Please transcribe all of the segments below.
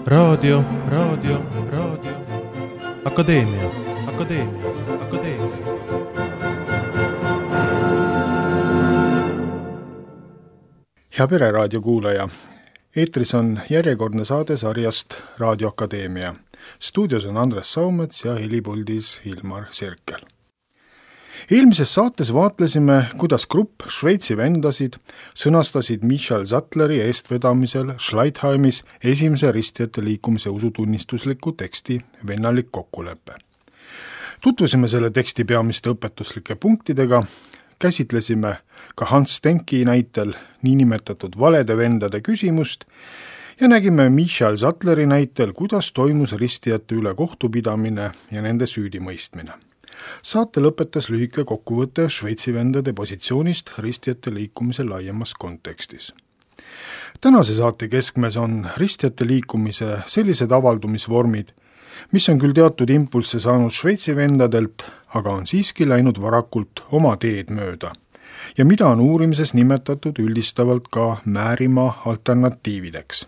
Raadio. Akadeemia. Hea Pereraadio kuulaja, eetris on järjekordne saade sarjast Raadio Akadeemia. Stuudios on Andres Saumets ja helipuldis Hilmar Sirkel. Eelmises saates vaatlesime, kuidas grupp Šveitsi vendasid sõnastasid Michael Sattleri eestvedamisel Schleitheimis esimese ristijate liikumise usutunnistusliku teksti Vennalik kokkulepe. Tutvusime selle teksti peamiste õpetuslike punktidega, käsitlesime ka Hans Stenki näitel niinimetatud valede vendade küsimust ja nägime Michael Sattleri näitel, kuidas toimus ristijate üle kohtupidamine ja nende süüdimõistmine. Saate lõpetas lühike kokkuvõte Šveitsi vendade positsioonist ristijate liikumise laiemas kontekstis. Tänase saate keskmes on ristijate liikumise sellised avaldumisvormid, mis on küll teatud impulsse saanud Šveitsi vendadelt, aga on siiski läinud varakult oma teed mööda ja mida on uurimises nimetatud üldistavalt ka Määrimaa alternatiivideks.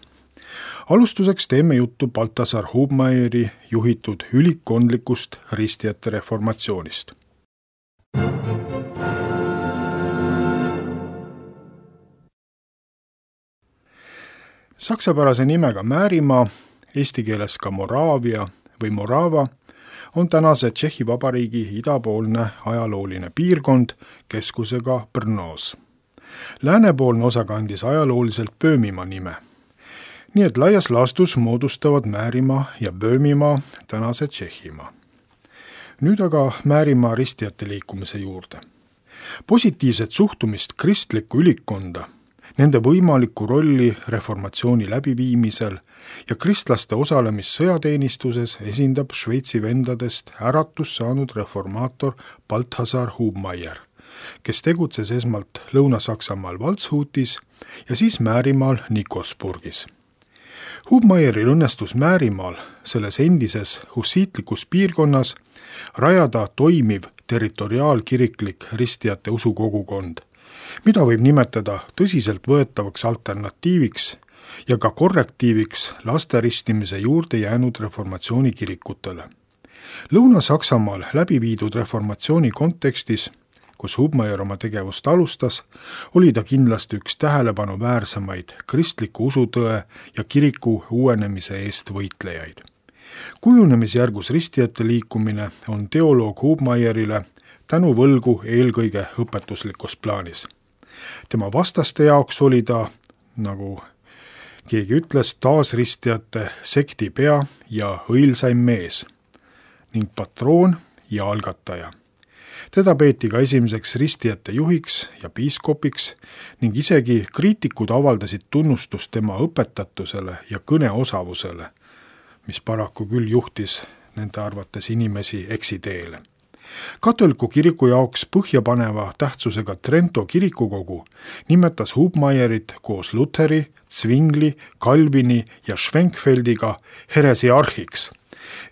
Alustuseks teeme juttu Balthasar Hubmeieri juhitud ülikkondlikust ristijate reformatsioonist. Saksapärase nimega Määrimaa, eesti keeles ka Moraavia või Morava, on tänase Tšehhi Vabariigi idapoolne ajalooline piirkond keskusega Brnoos. Läänepoolne osa kandis ajalooliselt Böömimaa nime. Nii et laias laastus moodustavad Määrimaa ja Böömimaa tänase Tšehhimaa. Nüüd aga Määrimaa ristijate liikumise juurde. Positiivset suhtumist kristlikku ülikkonda, nende võimalikku rolli reformatsiooni läbiviimisel ja kristlaste osalemist sõjateenistuses esindab Šveitsi vendadest äratus saanud reformaator Balthasar Hubmeier, kes tegutses esmalt Lõuna-Saksamaal Waldshutis ja siis Määrimaal Nikosburgis. Hubmeieril õnnestus Määrimaal, selles endises hussiitlikus piirkonnas, rajada toimiv territoriaalkiriklik ristijate usukogukond, mida võib nimetada tõsiselt võetavaks alternatiiviks ja ka korrektiiviks lasteristimise juurde jäänud reformatsiooni kirikutele. Lõuna-Saksamaal läbi viidud reformatsiooni kontekstis, kus Hubmeier oma tegevust alustas, oli ta kindlasti üks tähelepanuväärsemaid kristliku usutõe ja kiriku uuenemise eest võitlejaid. Kujunemisjärgus ristijate liikumine on teoloog Hubmeierile tänuvõlgu eelkõige õpetuslikus plaanis. Tema vastaste jaoks oli ta, nagu keegi ütles, taasristijate sekti pea ja õilsaim mees ning patroon ja algataja. Teda peeti ka esimeseks ristijate juhiks ja piiskopiks ning isegi kriitikud avaldasid tunnustust tema õpetatusele ja kõneosavusele, mis paraku küll juhtis nende arvates inimesi eksiteele. Katoliku kiriku jaoks põhjapaneva tähtsusega Trento kirikukogu nimetas Hubmeierit koos Lutheri, Zwingli, Calvini ja Schwenkfeldiga heresiarhiks,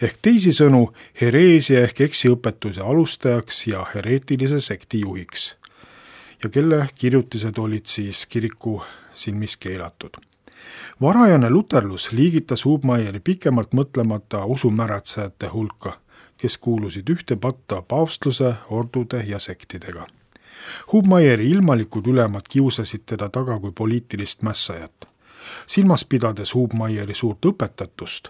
ehk teisisõnu hereesia ehk eksiõpetuse alustajaks ja hereetilise sekti juhiks, ja kelle kirjutised olid siis kiriku silmis keelatud. Varajane luterlus liigitas Hubmeieri pikemalt mõtlemata usumäratsejate hulka, kes kuulusid ühte patta paavstluse, ordude ja sektidega. Hubmeieri ilmalikud ülemad kiusasid teda taga kui poliitilist mässajat. Silmas pidades Hubmeieri suurt õpetatust,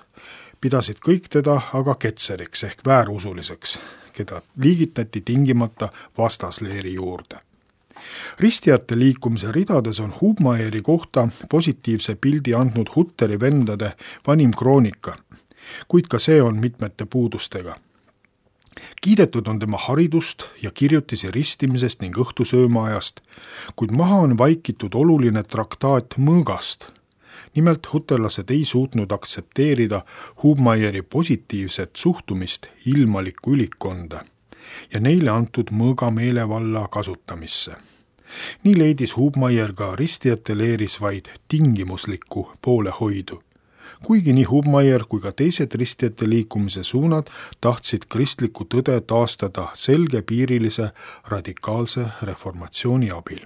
pidasid kõik teda aga ketseriks ehk väärusuliseks, keda liigitati tingimata vastasleeri juurde. Ristijate liikumise ridades on Hubmeieri kohta positiivse pildi andnud Hutteri vendade vanim kroonika, kuid ka see on mitmete puudustega. Kiidetud on tema haridust ja kirjutisi ristimisest ning õhtusöömaajast, kuid maha on vaikitud oluline traktaat mõõgast. Nimelt huterlased ei suutnud aktsepteerida Hubmeieri positiivset suhtumist ilmalikku ülikkonda ja neile antud mõõga meelevalla kasutamisse. Nii leidis Hubmeier ka ristijate leeris vaid tingimuslikku poolehoidu, kuigi nii Hubmeier kui ka teised ristijate liikumise suunad tahtsid kristlikku tõde taastada selgepiirilise radikaalse reformatsiooni abil.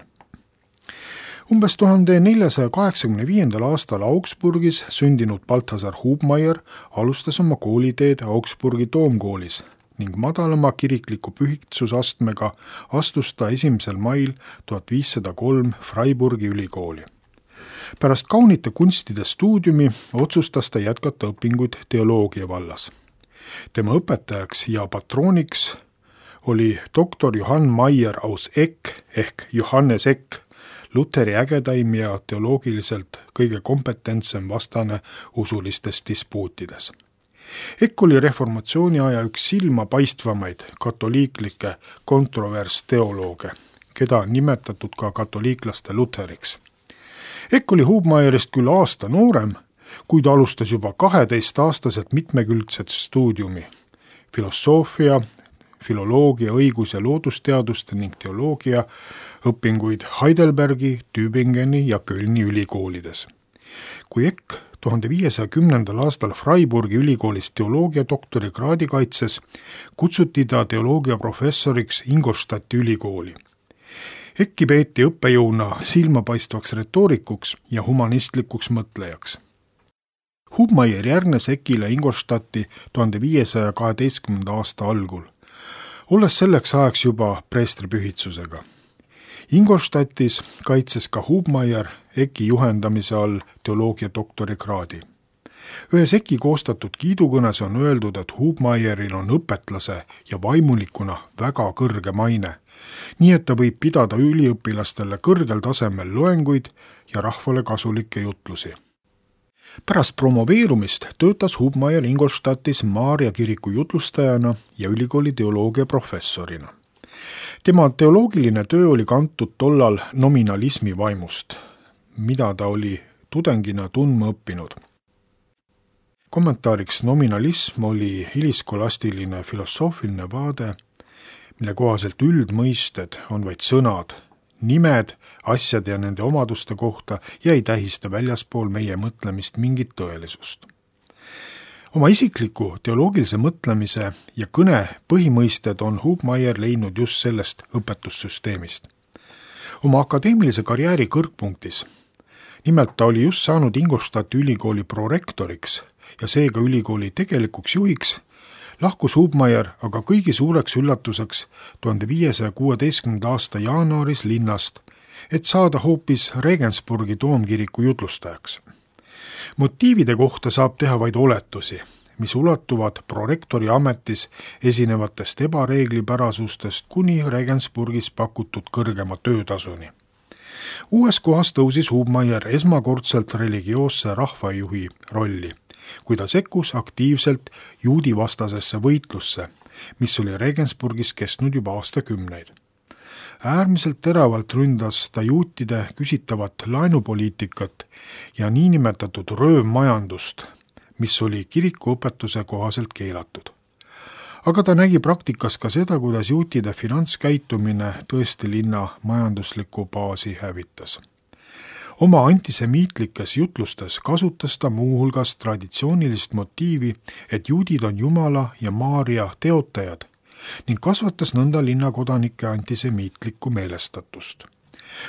Umbes 1485. aastal Augsburgis sündinud Balthasar Hubmaier alustas oma kooliteed Augsburgi toomkoolis ning madalama kirikliku pühitsusastmega astus ta 1. mail 1503 Freiburgi ülikooli. Pärast kaunite kunstide stuudiumi otsustas ta jätkata õpinguid teoloogia vallas. Tema õpetajaks ja patrooniks oli doktor Johann Maier aus Eck ehk Johannes Eck, Luteri ägedaim ja teoloogiliselt kõige kompetentsem vastane usulistes dispuutides. Eck oli reformatsiooni aja üks silmapaistvamaid katoliiklikke kontroversteolooge, keda on nimetatud ka katoliiklaste Luteriks. Eck oli Hubmaierist küll aasta noorem, kuid alustas juba 12-aastaselt mitmekülgset stuudiumi, filosoofia, filoloogia, õigus- ja loodusteaduste ning teoloogia õpinguid Heidelbergi, Tübingeni ja Kölni ülikoolides. Kui Eck 1510. aastal Freiburgi ülikoolis teoloogia doktorikraadi kaitses, kutsuti ta teoloogia professoriks Ingolstadti ülikooli. Ecki peeti õppejõuna silmapaistvaks retoorikuks ja humanistlikuks mõtlejaks. Hubmaier järgnes Eckile Ingolstadti 1512. aasta algul, olles selleks ajaks juba preestripühitsusega. Ingolstadtis kaitses ka Hubmaier Ecki juhendamise all teoloogia doktorikraadi. Ühes Ecki koostatud kiidukõnes on öeldud, et Hubmaieril on õpetlase ja vaimulikuna väga kõrge maine, nii et ta võib pidada üliõpilastele kõrgel tasemel loenguid ja rahvale kasulikke jutlusi. Pärast promoveerumist töötas Hubmaier Ingolstadtis Maarja kiriku jutlustajana ja ülikooli teoloogia professorina. Tema teoloogiline töö oli kantud tollal nominalismi vaimust, mida ta oli tudengina tundma õppinud. Kommentaariks nominalism oli hiliskolastiline filosoofiline vaade, mille kohaselt üldmõisted on vaid sõnad, nimed, asjade ja nende omaduste kohta ja ei tähista väljaspool meie mõtlemist mingit tõelisust. Oma isikliku teoloogilise mõtlemise ja kõne põhimõisted on Hubmaier leidnud just sellest õpetussüsteemist. Oma akadeemilise karjääri kõrgpunktis, nimelt ta oli just saanud Ingolstadti ülikooli prorektoriks ja seega ülikooli tegelikuks juhiks, lahkus Hubmaier aga kõigi suureks üllatuseks 1516. aasta jaanuaris linnast, et saada hoopis Regensburgi toomkiriku jutlustajaks. Motiivide kohta saab teha vaid oletusi, mis ulatuvad prorektori ametis esinevatest ebareeglipärasustest kuni Regensburgis pakutud kõrgema töötasuni. Uues kohas tõusis Hubmaier esmakordselt religioosse rahvajuhi rolli, kui ta sekkus aktiivselt juudivastasesse võitlusse, mis oli Regensburgis kestnud juba aastakümneid. Äärmiselt teravalt ründas ta juutide küsitavat laenupoliitikat ja niinimetatud röövmajandust, mis oli kirikuõpetuse kohaselt keelatud. Aga ta nägi praktikas ka seda, kuidas juutide finantskäitumine tõesti linna majanduslikku baasi hävitas. Oma antisemiitlikes jutlustes kasutas ta muuhulgas traditsioonilist motiivi, et juudid on Jumala ja Maarja teotajad, ning kasvatas nõnda linnakodanike antisemiitlikku meelestatust.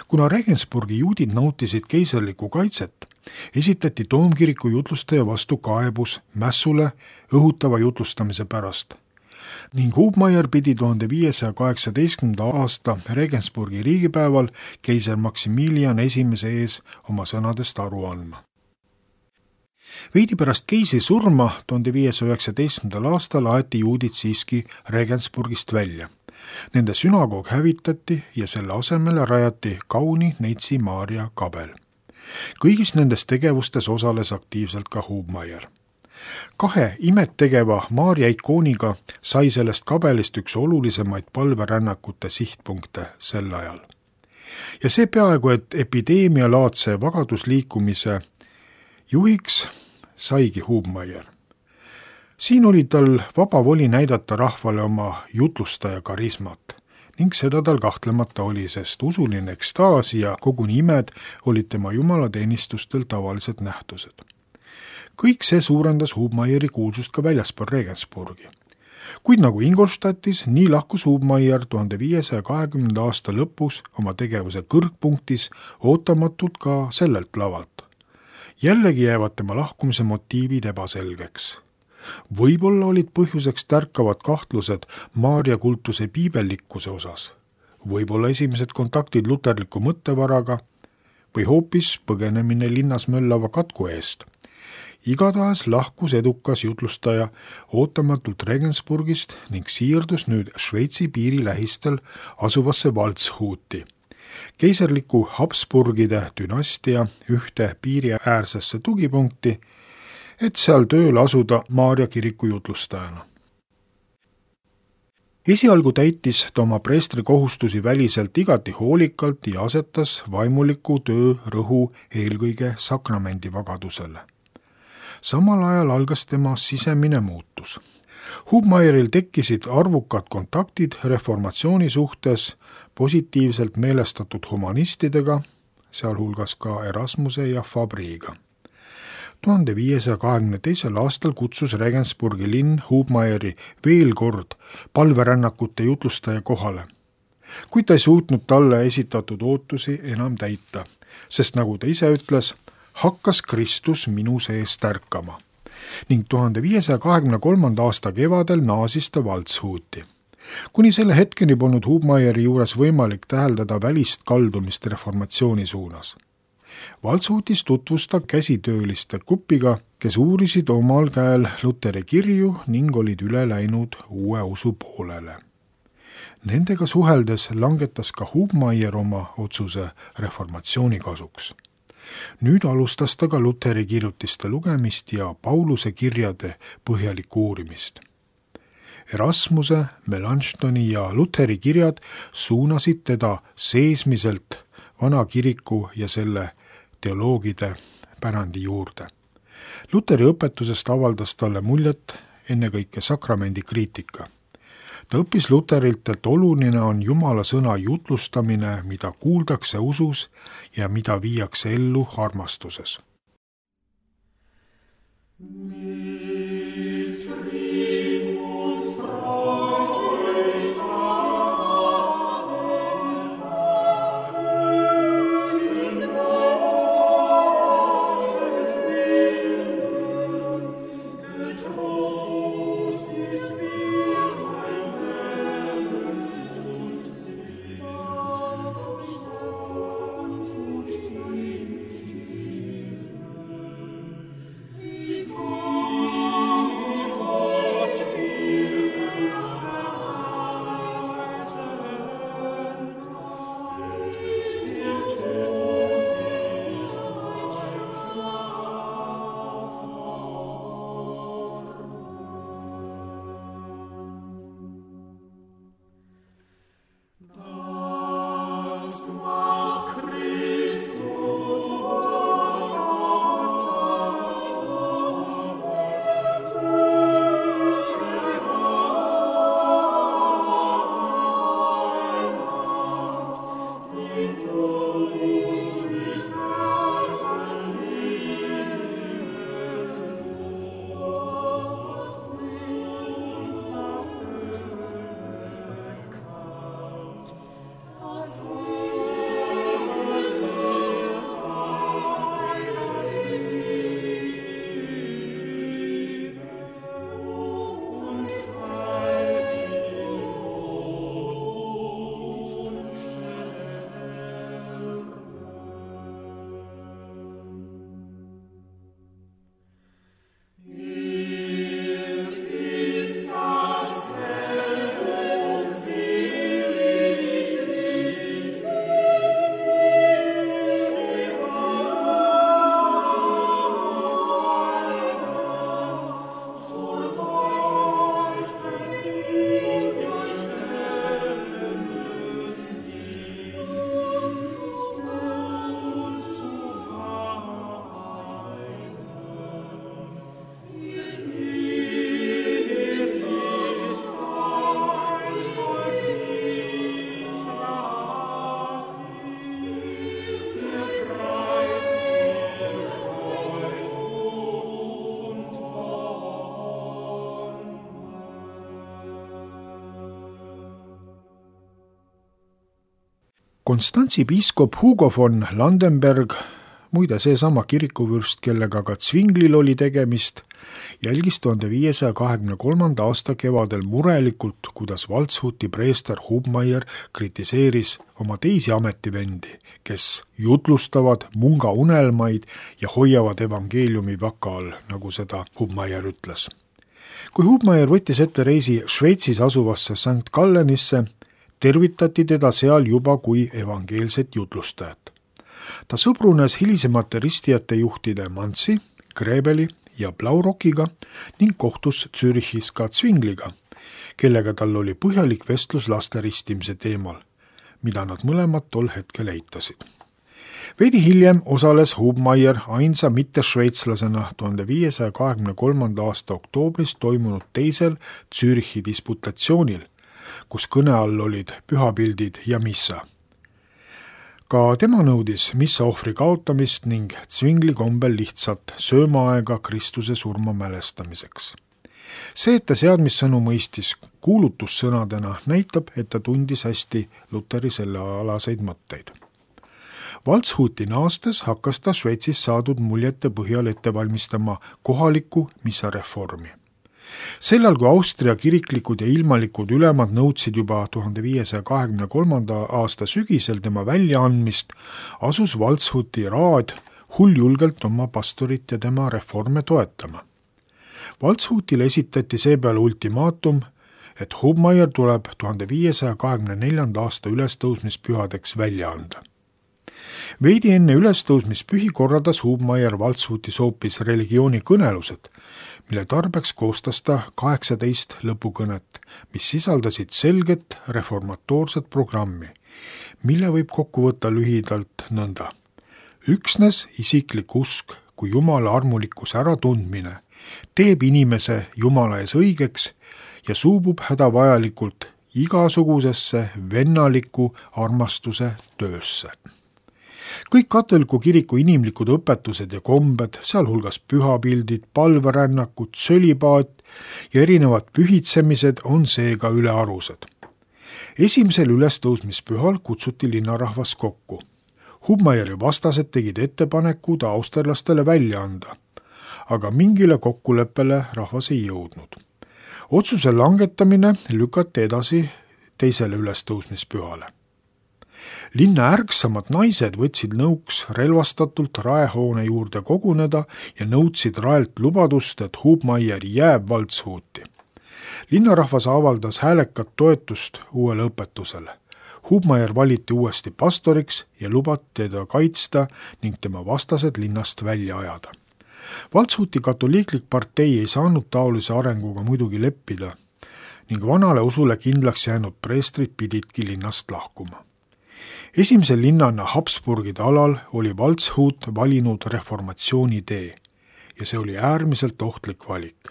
Kuna Regensburgi juudid nautisid keiserlikku kaitset, esitati toomkiriku jutlustaja vastu kaebus mässule õhutava jutlustamise pärast ning Hubmaier pidi 1518. aasta Regensburgi riigipäeval keiser Maximilian I ees oma sõnadest aru andma. Veidi pärast keisri surma 1519. aastal aeti juudid siiski Regensburgist välja. Nende sünagoog hävitati ja selle asemele rajati kauni Neitsi Maarja kabel. Kõigis nendes tegevustes osales aktiivselt ka Hubmaier. 2 imet tegeva Maarja ikooniga sai sellest kabelist üks olulisemaid palverännakute sihtpunkte sel ajal. Ja see peaaegu, et epideemialaadse vagadusliikumise juhiks saigi Hubmaier. Siin oli tal vaba voli näidata rahvale oma jutlustaja karismat ning seda tal kahtlemata oli, sest usuline ekstaas ja koguni imed olid tema jumalateenistustel tavalised nähtused. Kõik see suurendas Hubmaieri kuulsust ka väljaspool Regensburgi. Kuid nagu Ingolstadtis, nii lahkus Hubmaier 1520. aasta lõpus oma tegevuse kõrgpunktis ootamatult ka sellelt lavalt. Jällegi jäävad tema lahkumise motiivid ebaselgeks. Võib-olla olid põhjuseks tärkavad kahtlused Maarja kultuse piibellikkuse osas, võib-olla esimesed kontaktid luterliku mõttevaraga või hoopis põgenemine linnas möllava katku eest. Igatahes lahkus edukas jutlustaja ootamatult Regensburgist ning siirdus nüüd Šveitsi piiri lähistel asuvasse Waldshuti, keiserliku Habsburgide dünastia ühte piiriäärsesse tugipunkti, et seal tööle asuda Maarja kiriku jutlustajana. Esialgu täitis ta oma preestri kohustusi väliselt igati hoolikalt ja asetas vaimuliku töö rõhu eelkõige sakramendi vagadusele. Samal ajal algas tema sisemine muutus. Hubmaieril tekkisid arvukad kontaktid reformatsiooni suhtes positiivselt meelestatud humanistidega, sealhulgas ka Erasmuse ja Fabriga. 1522. aastal kutsus Regensburgi linn Hubmaieri veel kord palverännakute jutlustaja kohale, kuid ta ei suutnud talle esitatud ootusi enam täita, sest nagu ta ise ütles, hakkas Kristus minu sees tärkama ning 1523. aasta kevadel naasis ta Waldshuti. Kuni selle hetkeni polnud Hubmaieri juures võimalik täheldada välist kaldumist reformatsiooni suunas. Waldshutis tutvus ta käsitööliste grupiga, kes uurisid omal käel Luteri kirju ning olid üle läinud uue usu poolele. Nendega suheldes langetas ka Hubmaier oma otsuse reformatsiooni kasuks. Nüüd alustas ta ka Luteri kirjutiste lugemist ja Pauluse kirjade põhjalikku uurimist. Erasmuse, Melanchthoni ja Luteri kirjad suunasid teda seesmiselt vana kiriku ja selle teoloogide pärandi juurde. Luteri õpetusest avaldas talle muljet ennekõike sakramendi kriitika. Ta õppis Luterilt, et oluline on Jumala sõna jutlustamine, mida kuuldakse usus ja mida viiakse ellu armastuses. Konstantsi piiskop Hugo von Landenberg, muide seesama kirikuvürst, kellega ka Zwinglil oli tegemist, jälgis 1523. aasta kevadel murelikult, kuidas Waldshuti preester Hubmaier kritiseeris oma teisi ametivendi, kes jutlustavad munga unelmaid ja hoiavad evangeeliumi vaka all, nagu seda Hubmaier ütles. Kui Hubmaier võttis ette reisi Šveitsis asuvasse St. Gallenisse, tervitati teda seal juba kui evangeelset jutlustajat. Ta sõbrunes hilisemate ristijate juhtide Manzi, Grebeli ja Blaurokiga ning kohtus Zürichis ka Zwingliga, kellega tal oli põhjalik vestlus laste ristimise teemal, mida nad mõlemad tol hetkel eitasid. Veidi hiljem osales Hubmaier ainsa mitte-šveitslasena 1523. aasta oktoobris toimunud teisel Zürichi disputatsioonil, kus kõne all olid pühapildid ja missa. Ka tema nõudis missa ohvri kaotamist ning Zwingli kombel lihtsalt söömaaega Kristuse surma mälestamiseks. See, et ta seadmissõnu mõistis kuulutussõnadena, näitab, et ta tundis hästi Luteri sellealaseid mõtteid. Waldshuti naastes hakkas ta Šveitsis saadud muljete põhjal ette valmistama kohalikku missareformi. Sellal, kui Austria kiriklikud ja ilmalikud ülemad nõudsid juba 1523. aasta sügisel tema väljaandmist, asus Waldshuti raad hulljulgelt oma pastorit ja tema reforme toetama. Waldshutile esitati seepeale ultimaatum, et Hubmaier tuleb 1524. aasta ülestõusmispühadeks välja anda. Veidi enne ülestõusmispühi korraldas Hubmaier Waldshutis hoopis religioonikõnelused, mille tarbeks koostas ta 18 lõpukõnet, mis sisaldasid selget reformatoorset programmi, mille võib kokku võtta lühidalt nõnda. Üksnes isiklik usk kui Jumala armulikkuse äratundmine teeb inimese Jumala ees õigeks ja suubub hädavajalikult igasugusesse vennaliku armastuse töösse. Kõik katoliku kiriku inimlikud õpetused ja kombed, sealhulgas pühapildid, palverännakud, sölipaat ja erinevad pühitsemised on seega ülearused. Esimesel ülestõusmispühal kutsuti linnarahvas kokku. Hubmaieri vastased tegid ettepaneku ta austerlastele välja anda, aga mingile kokkuleppele rahvas ei jõudnud. Otsuse langetamine lükati edasi teisele ülestõusmispühale. Linna ärksamad naised võtsid nõuks relvastatult raehoone juurde koguneda ja nõudsid raelt lubadust, et Hubmaier jääb Waldshuti. Linnarahvas avaldas häälekat toetust uuele õpetusele. Hubmaier valiti uuesti pastoriks ja lubati teda kaitsta ning tema vastased linnast välja ajada. Waldshuti katoliiklik partei ei saanud taolise arenguga muidugi leppida ning vanale usule kindlaks jäänud preestrid pididki linnast lahkuma. Esimese linnana Habsburgide alal oli Waldshut valinud reformatsiooni tee ja see oli äärmiselt ohtlik valik.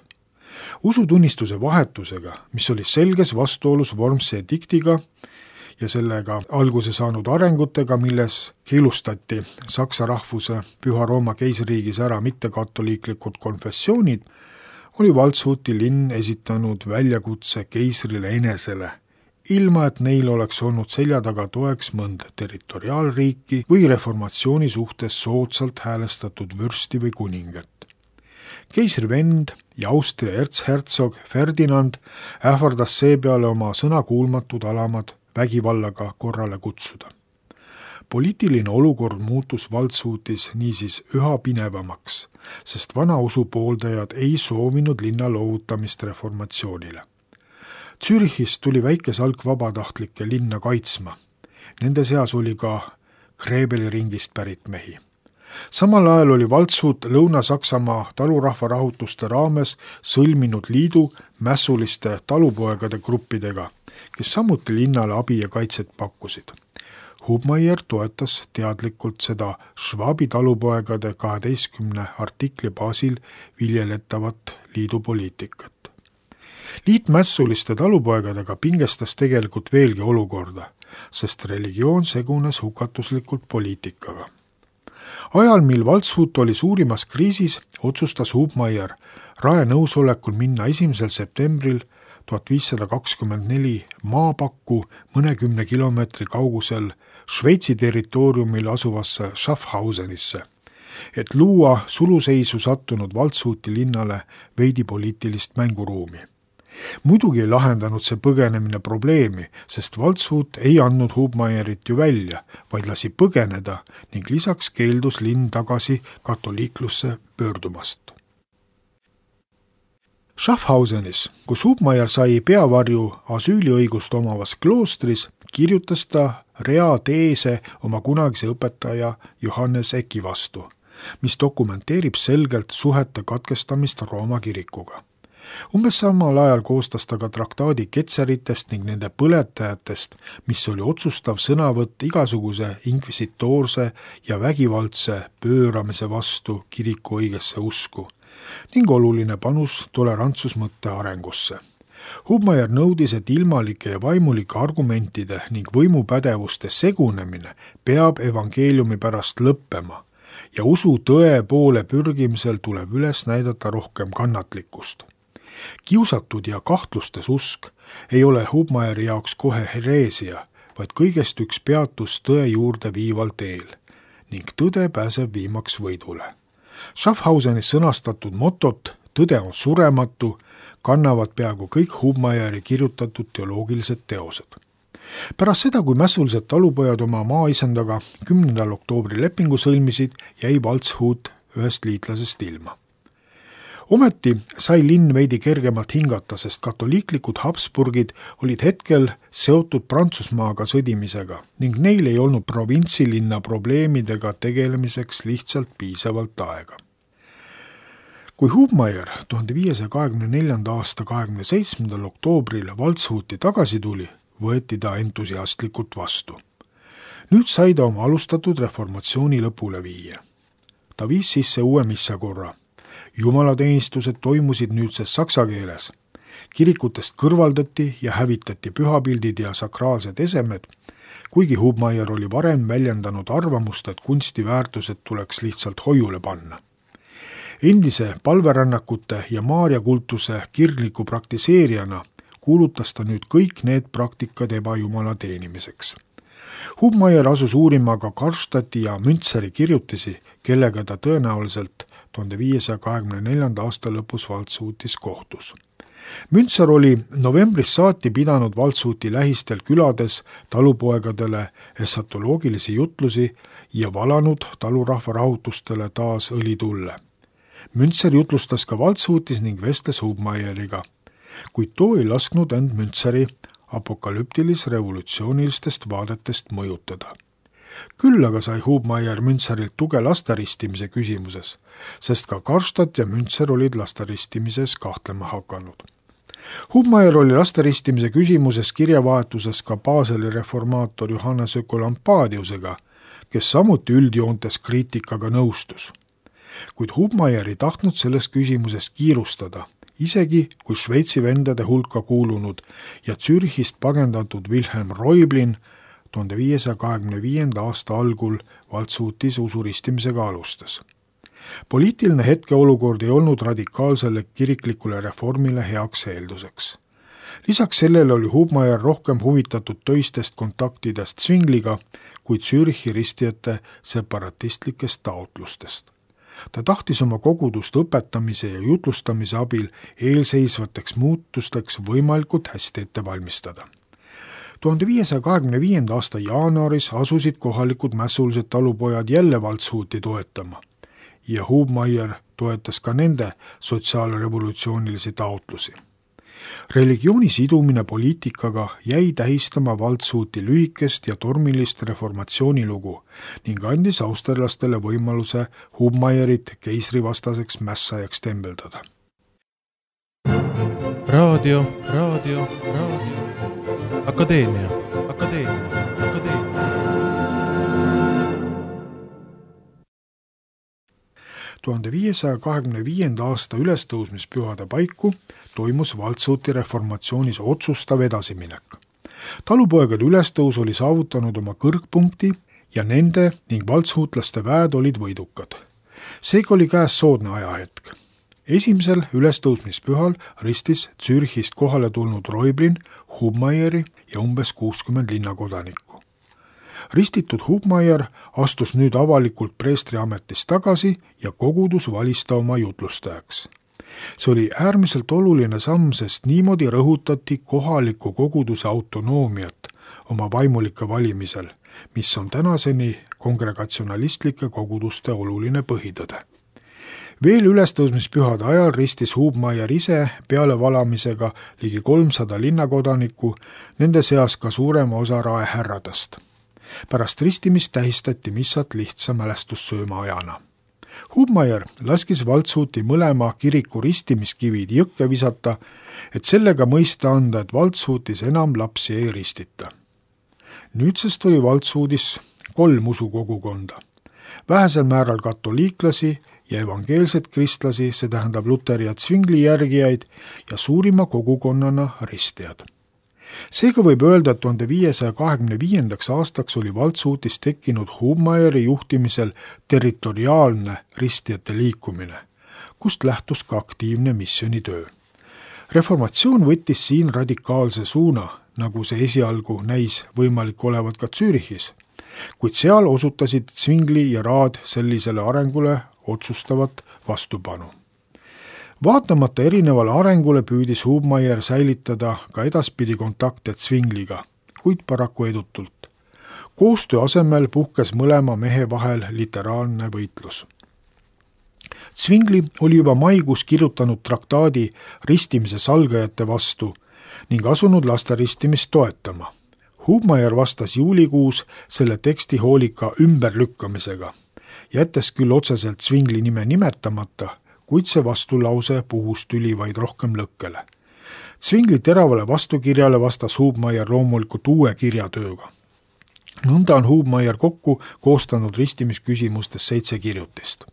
Usutunnistuse vahetusega, mis oli selges vastuolus Wormsi ediktiga ja sellega alguse saanud arengutega, milles keelustati saksa rahvuse Püha Rooma keisririigis ära mittekatoliiklikud konfessioonid, oli Waldshuti linn esitanud väljakutse keisrile enesele, ilma et neil oleks olnud selja taga toeks mõnda territoriaalriiki või reformatsiooni suhtes soodsalt häälestatud vürsti või kuningat. Keisri vend ja Austria ertshertsog Ferdinand ähvardas seepeale oma sõnakuulmatud alamad vägivallaga korrale kutsuda. Poliitiline olukord muutus Waldshutis niisiis üha pinevamaks, sest vana usu pooldajad ei soovinud linna loovutamist reformatsioonile. Zürichist tuli väike salk vabatahtlikke linna kaitsma. Nende seas oli ka Grebeli ringist pärit mehi. Samal ajal oli Waldshut Lõuna-Saksamaa talurahva rahutuste raames sõlminud liidu mässuliste talupoegade gruppidega, kes samuti linnale abi ja kaitset pakkusid. Hubmaier toetas teadlikult seda Schwabi talupoegade 12 artikli baasil viljeletavat liidupoliitikat. Liit mässuliste talupoegadega pingestas tegelikult veelgi olukorda, sest religioon segunes hukatuslikult poliitikaga. Ajal, mil Waldshut oli suurimas kriisis, otsustas Hubmaier rae nõusolekul minna 1. septembril 1524 maapakku mõnekümne kilomeetri kaugusel Šveitsi territooriumil asuvasse Schaffhausenisse, et luua suluseisu sattunud Waldshути linnale veidi poliitilist mänguruumi. Muidugi ei lahendanud see põgenemine probleemi, sest Waldshut ei andnud Hubmeierit ju välja, vaid lasi põgeneda ning lisaks keeldus linn tagasi katoliiklusse pöördumast. Schaffhausenis, kus Hubmeier sai peavarju asüüliõigust omavas kloostris, kirjutas ta rea teese oma kunagise õpetaja Johannes Eki vastu, mis dokumenteerib selgelt suhete katkestamist Rooma kirikuga. Umbes samal ajal koostas ta ka traktaadi ketseritest ning nende põletajatest, mis oli otsustav sõnavõtt igasuguse inkvisitoorse ja vägivaldse pööramise vastu kiriku õigesse usku ning oluline panus tolerantsusmõtte arengusse. Hubmeier nõudis, et ilmalike ja vaimulike argumentide ning võimupädevuste segunemine peab evangeeliumi pärast lõppema ja usu tõe poole pürgimisel tuleb üles näidata rohkem kannatlikkust. Kiusatud ja kahtlustes usk ei ole Hubmeieri jaoks kohe hereesia, vaid kõigest üks peatus tõe juurde viival teel ning tõde pääseb viimaks võidule. Schaffhausenis sõnastatud motot "Tõde on surematu" kannavad peaaegu kõik Hubmeieri kirjutatud teoloogilised teosed. Pärast seda, kui mässulised talupojad oma maaisendaga 10. oktoobri lepingu sõlmisid, jäi Waldshut ühest liitlasest ilma. Ometi sai linn veidi kergemalt hingata, sest katoliiklikud Habsburgid olid hetkel seotud Prantsusmaaga sõdimisega ning neil ei olnud provintsilinna probleemidega tegelemiseks lihtsalt piisavalt aega. Kui Hubmeier 1524. aasta 27. oktoobril Waldshuti tagasi tuli, võeti ta entusiastlikult vastu. Nüüd sai ta oma alustatud reformatsiooni lõpule viia. Ta viis sisse uue missakorra. Jumalateenistused toimusid nüüdses saksa keeles. Kirikutest kõrvaldati ja hävitati pühapildid ja sakraalsed esemed, kuigi Hubmeier oli varem väljendanud arvamust, et kunstiväärtused tuleks lihtsalt hoiule panna. Endise palverännakute ja maarjakultuse kirgliku praktiseerijana kuulutas ta nüüd kõik need praktikad ebajumala teenimiseks. Hubmeier asus uurima ka Karlstadti ja Müntseri kirjutisi, kellega ta tõenäoliselt 1524. aasta lõpus Waldshutis kohtus. Müntser oli novembris saati pidanud Waldshuti lähistel külades talupoegadele esatoloogilisi jutlusi ja valanud talurahva rahutustele taas õlitulle. Müntser jutlustas ka Waldshutis ning vestles Hubmeieriga, kuid too ei lasknud end Müntseri apokalüptilis-revolutsioonilistest vaadetest mõjutada. Küll aga sai Hubmeier Müntserilt tuge lasteristimise küsimuses, sest ka Karlstadt ja Müntser olid lastaristimises kahtlema hakanud. Hubmeier oli lasteristimise küsimuses kirjavahetuses ka Baseli reformaator Johannes Ökolampadiusega, kes samuti üldjoontes kriitikaga nõustus. Kuid Hubmeier ei tahtnud selles küsimuses kiirustada, isegi kui Šveitsi vendade hulka kuulunud ja Zürichist pagendatud Wilhelm Reublin 1525. aasta algul Waldshutis usuristimisega alustas. Poliitiline hetkeolukord ei olnud radikaalsele kiriklikule reformile heaks eelduseks. Lisaks sellele oli Hubmeier rohkem huvitatud töistest kontaktidest Zwingliga kui Zürichi ristijate separatistlikest taotlustest. Ta tahtis oma kogudust õpetamise ja jutlustamise abil eelseisvateks muutusteks võimalikult hästi ette valmistada. 1525. aasta jaanuaris asusid kohalikud mässulised talupojad jälle Waldshuti toetama ja Hubmeier toetas ka nende sotsiaalrevolutsioonilisi taotlusi. Religiooni sidumine poliitikaga jäi tähistama Waldshuti lühikest ja tormilist reformatsioonilugu ning andis austerlastele võimaluse Hubmeierit keisrivastaseks mässajaks tembeldada. Raadio. Akadeemia. 1525. aasta ülestõusmispühade paiku toimus Waldshuti reformatsioonis otsustav edasiminek. Talupoegade ülestõus oli saavutanud oma kõrgpunkti ja nende ning waldshutlaste väed olid võidukad. Seega oli käes soodne ajahetk. Esimesel ülestõusmispühal ristis Zürichist kohale tulnud Reublin, Hubmeieri ja umbes 60 linnakodanikku. ristitud Hubmaier astus nüüd avalikult preestri ametist tagasi ja kogudus valis ta oma jutlustajaks. See oli äärmiselt oluline samm, sest niimoodi rõhutati kohaliku koguduse autonoomiat oma vaimulike valimisel, mis on tänaseni kongregatsionalistlike koguduste oluline põhitõde. Veel ülestõusmispühade ajal ristis Hubmaier ise pealevalamisega ligi 300 linnakodanikku, nende seas ka suurema osa raehärradest. Pärast ristimist tähistati missat lihtsa mälestussööma ajana. Hubmaier laskis Waldshути mõlema kiriku ristimiskivid jõkke visata, et sellega mõista anda, et Waldshutis enam lapsi ei ristita. Nüüdsest oli Waldshutis 3 usukogukonda. Vähesel määral katoliiklasi ja evangeelset kristlasi, see tähendab Luteri ja Zwingli järgijaid, ja suurima kogukonnana ristijad. Seega võib öelda, et 1525. aastaks oli Waldshutis tekkinud Hubmaieri juhtimisel territoriaalne ristijate liikumine, kust lähtus ka aktiivne missioonitöö. Reformatsioon võttis siin radikaalse suuna, nagu see esialgu näis võimalik olevat ka Zürichis, kuid seal osutasid Zwingli ja Raad sellisele arengule otsustavat vastupanu. Vaatamata erinevale arengule püüdis Hubmaier säilitada ka edaspidi kontakte Zwingliga, kuid paraku edutult. Koostöö asemel puhkes mõlema mehe vahel literaarne võitlus. Zwingli oli juba maikuus kirjutanud traktaadi ristimise salgajate vastu ning asunud laste ristimist toetama. Hubmaier vastas juulikuus selle teksti hoolika ümberlükkamisega, jättes küll otseselt Zwingli nime nimetamata, kuid see vastulause puhus tüli vaid rohkem lõkkele. Zwingli teravale vastukirjale vastas Hubmaier loomulikult uue kirjatööga. Nõnda on Hubmaier kokku koostanud ristimisküsimustes 7 kirjutist.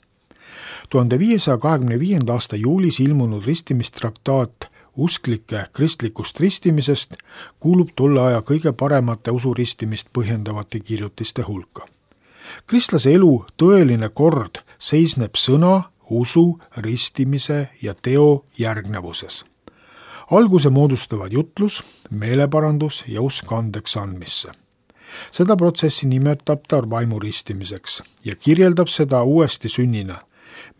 1525. aasta juulis ilmunud ristimistraktaat usklike kristlikust ristimisest kuulub tolle aja kõige paremate usuristimist põhjendavate kirjutiste hulka. Kristlase elu tõeline kord seisneb sõna, usu, ristimise ja teo järgnevuses. Alguse moodustavad jutlus, meeleparandus ja usk andeks andmisse. Seda protsessi nimetab ta vaimuristimiseks ja kirjeldab seda uuesti sünnina,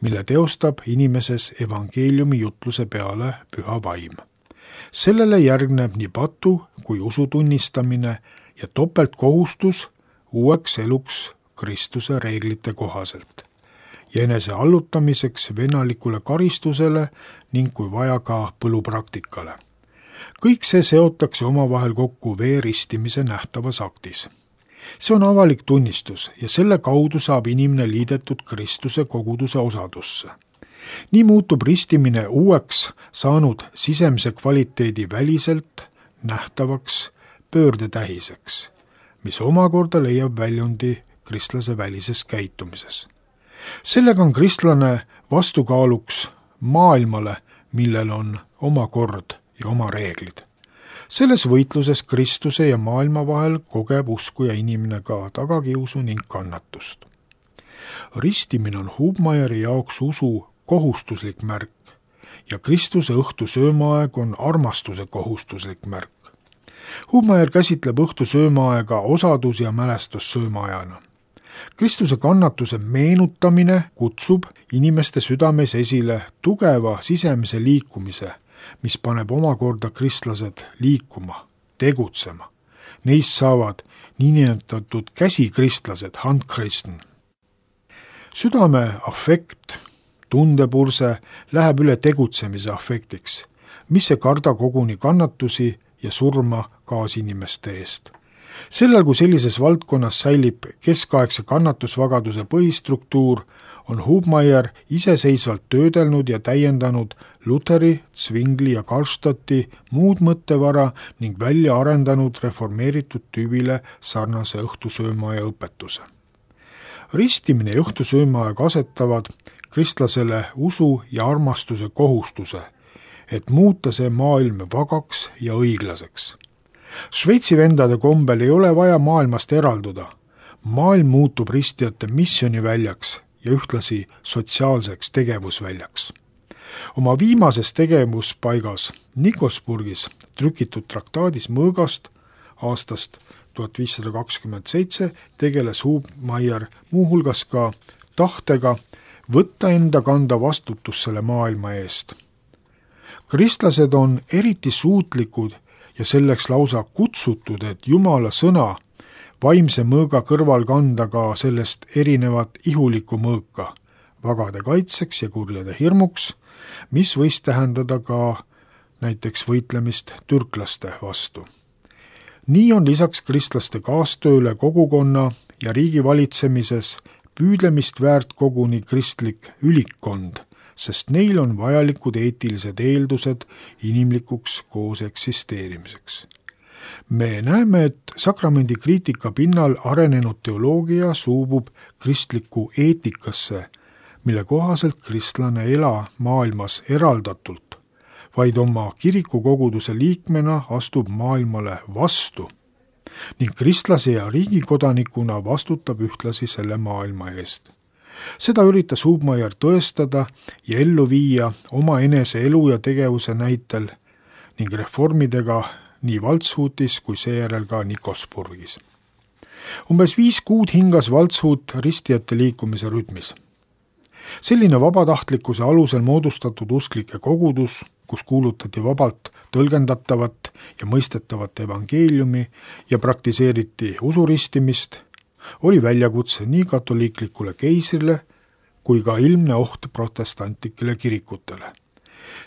mille teostab inimeses evangeeliumi jutluse peale püha vaim. Sellele järgneb nii patu kui usu tunnistamine ja topeltkohustus uueks eluks Kristuse reeglite kohaselt ja enese allutamiseks vennalikule karistusele ning kui vaja ka põlupraktikale. Kõik see seotakse omavahel kokku veeristimise nähtavas aktis. See on avalik tunnistus ja selle kaudu saab inimene liidetud Kristuse koguduse osadusse. Nii muutub ristimine uueks saanud sisemise kvaliteedi väliselt nähtavaks pöördetähiseks, mis omakorda leiab väljundi kristlase välises käitumises. Sellega on kristlane vastukaaluks maailmale, millel on oma kord ja oma reeglid. Selles võitluses Kristuse ja maailma vahel kogeb uskuja inimene ka tagakiusu ning kannatust. Ristimine on Hubmaieri jaoks usu kohustuslik märk ja Kristuse õhtu söömaaeg on armastuse kohustuslik märk. Hubmaier käsitleb õhtu söömaaega osadus- ja mälestussöömaajana. Kristuse kannatuse meenutamine kutsub inimeste südames esile tugeva sisemise liikumise, mis paneb omakorda kristlased liikuma, tegutsema. Neist saavad niinimetatud käsikristlased, Handchristen. Südame afekt, tundepurse läheb üle tegutsemise afektiks, mis ei karda koguni kannatusi ja surma kaasinimeste eest. Sellel, kui sellises valdkonnas säilib keskaegse kannatusvagaduse põhistruktuur, on Hubmaier iseseisvalt töödelnud ja täiendanud Luteri, Zwingli ja Karlstadti muud mõttevara ning välja arendanud reformeeritud tüübile sarnase õhtusöömaaja õpetuse. Ristimine ja õhtusöömaaeg asetavad kristlasele usu ja armastuse kohustuse, et muuta see maailm vagaks ja õiglaseks. Šveitsi vendade kombel ei ole vaja maailmast eralduda. Maailm muutub ristijate missiooniväljaks ja ühtlasi sotsiaalseks tegevusväljaks. Oma viimases tegevuspaigas Nikosburgis trükitud traktaadis mõõgast aastast 1527 tegeles Hubmaier muuhulgas ka tahtega võtta enda kanda vastutus selle maailma eest. Kristlased on eriti suutlikud ja selleks lausa kutsutud, et Jumala sõna vaimse mõõga kõrval kanda ka sellest erinevat ihulikku mõõka, vagade kaitseks ja kurjade hirmuks, mis võis tähendada ka näiteks võitlemist türklaste vastu. Nii on lisaks kristlaste kaastööle kogukonna ja riigi valitsemises püüdlemist väärt koguni kristlik ülikkond, sest neil on vajalikud eetilised eeldused inimlikuks koos eksisteerimiseks. Me näeme, et sakramendi kriitika pinnal arenenud teoloogia suubub kristlikku eetikasse, mille kohaselt kristlane ei ela maailmas eraldatult, vaid oma kirikukoguduse liikmena astub maailmale vastu ning kristlase ja riigikodanikuna vastutab ühtlasi selle maailma eest. Seda üritas Hubmaier tõestada ja ellu viia oma enese elu ja tegevuse näitel ning reformidega nii Waldshutis kui seejärel ka Nikosburgis. Umbes 5 kuud hingas Waldshut ristijate liikumise rütmis. Selline vabatahtlikkuse alusel moodustatud usklike kogudus, kus kuulutati vabalt tõlgendatavat ja mõistetavat evangeeliumi ja praktiseeriti usuristimist, oli väljakutse nii katoliiklikule keisrile kui ka ilmne oht protestantlikele kirikutele.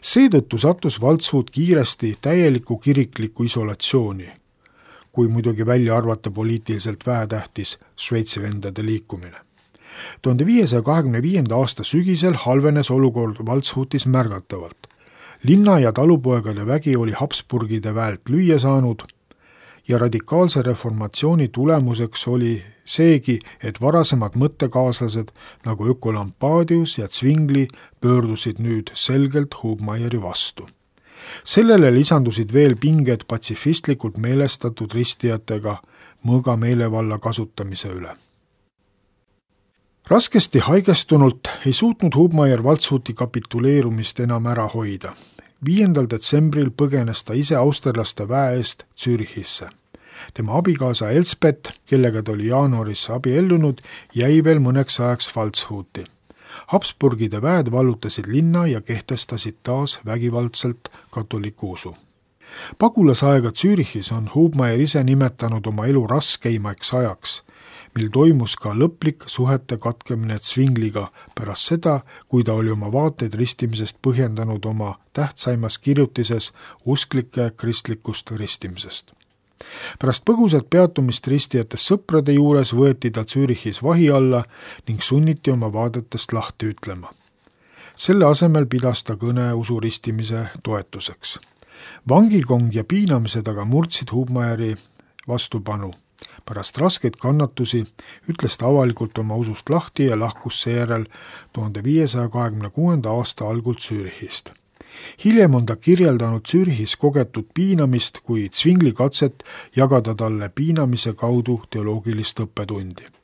Seetõttu sattus Waldshut kiiresti täieliku kirikliku isolatsiooni, kui muidugi välja arvata poliitiliselt vähetähtis Šveitsi vendade liikumine. 1525. aasta sügisel halvenes olukord Waldshutis märgatavalt. Linna- ja talupoegade vägi oli Habsburgide väelt lüüa saanud ja radikaalse reformatsiooni tulemuseks oli seegi, et varasemad mõttekaaslased nagu Ökolampadius ja Zwingli pöördusid nüüd selgelt Hubmaieri vastu. Sellele lisandusid veel pinged patsifistlikult meelestatud ristijatega mõõga meelevalla kasutamise üle. Raskesti haigestunult ei suutnud Hubmaier Waldshuti kapituleerumist enam ära hoida. 5. detsembril põgenes ta ise austerlaste väe eest Zürichisse. Tema abikaasa Elspeth, kellega ta oli jaanuaris abiellunud, jäi veel mõneks ajaks Waldshuti. Habsburgide väed vallutasid linna ja kehtestasid taas vägivaldselt katoliku usu. Pagulasaega Zürichis on Hubmaier ise nimetanud oma elu raskeimaks ajaks, mil toimus ka lõplik suhete katkemine Zwingliga pärast seda, kui ta oli oma vaateid ristimisest põhjendanud oma tähtsaimas kirjutises usklike kristlikust ristimisest. Pärast põgusat peatumist ristijatest sõprade juures võeti ta Zürichis vahi alla ning sunniti oma vaadetest lahti ütlema. Selle asemel pidas ta kõne usuristimise toetuseks. Vangikong ja piinamised aga murdsid Hubmaieri vastupanu. Pärast raskeid kannatusi ütles ta avalikult oma usust lahti ja lahkus seejärel 1526. aasta algul Zürichist. Hiljem on ta kirjeldanud Zürichis kogetud piinamist kui Zwingli katset jagada talle piinamise kaudu teoloogilist õppetundi.